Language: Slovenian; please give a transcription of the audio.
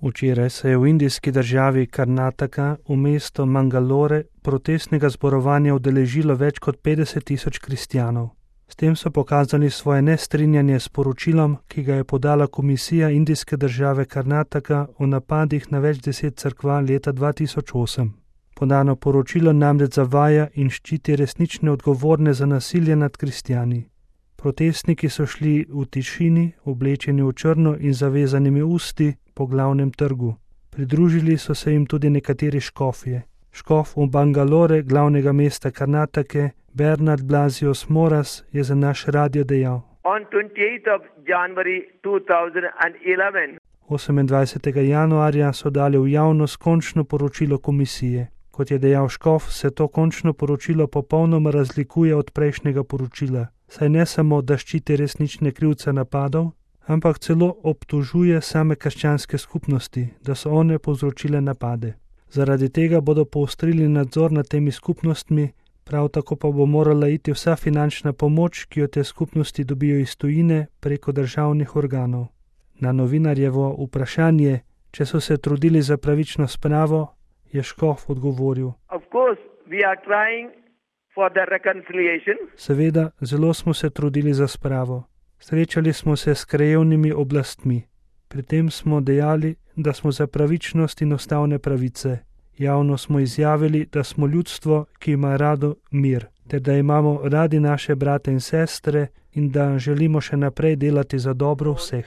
Včeraj se je v indijski državi Karnataka v mesto Mangalore protestnega zborovanja udeležilo več kot 50.000 kristjanov. S tem so pokazali svoje nestrinjanje s poročilom, ki ga je podala komisija indijske države Karnataka o napadih na več 10 cerkva leta 2008. Podano poročilo namreč zavaja in ščiti resnične odgovorne za nasilje nad kristjani. Protestniki so šli v tišini, oblečeni v črno in zavezanimi usti po glavnem trgu. Pridružili so se jim tudi nekateri škofje. Škof v Bangalore, glavnega mesta Karnatake, Bernard Blasius Moras, je za naš radio dejal: 28. januarja so dali v javnost končno poročilo komisije. Kot je dejal škof, se to končno poročilo popolnoma razlikuje od prejšnjega poročila, saj ne samo, da ščiti resnične krivce napadov, ampak celo obtožuje same krščanske skupnosti, da so one povzročile napade. Zaradi tega bodo poostrili nadzor nad temi skupnostmi, prav tako pa bo morala iti vsa finančna pomoč, ki jo te skupnosti dobijo iz tujine preko državnih organov. Na novinarjevo vprašanje, če so se trudili za pravično spravo, je škof odgovoril: Seveda, zelo smo se trudili za spravo. Srečali smo se s krajevnimi oblastmi. Pri tem smo dejali, da smo za pravičnost in ustavne pravice. Javno smo izjavili, da smo ljudstvo, ki ima rado mir, ter da imamo radi naše brate in sestre in da želimo še naprej delati za dobro vseh.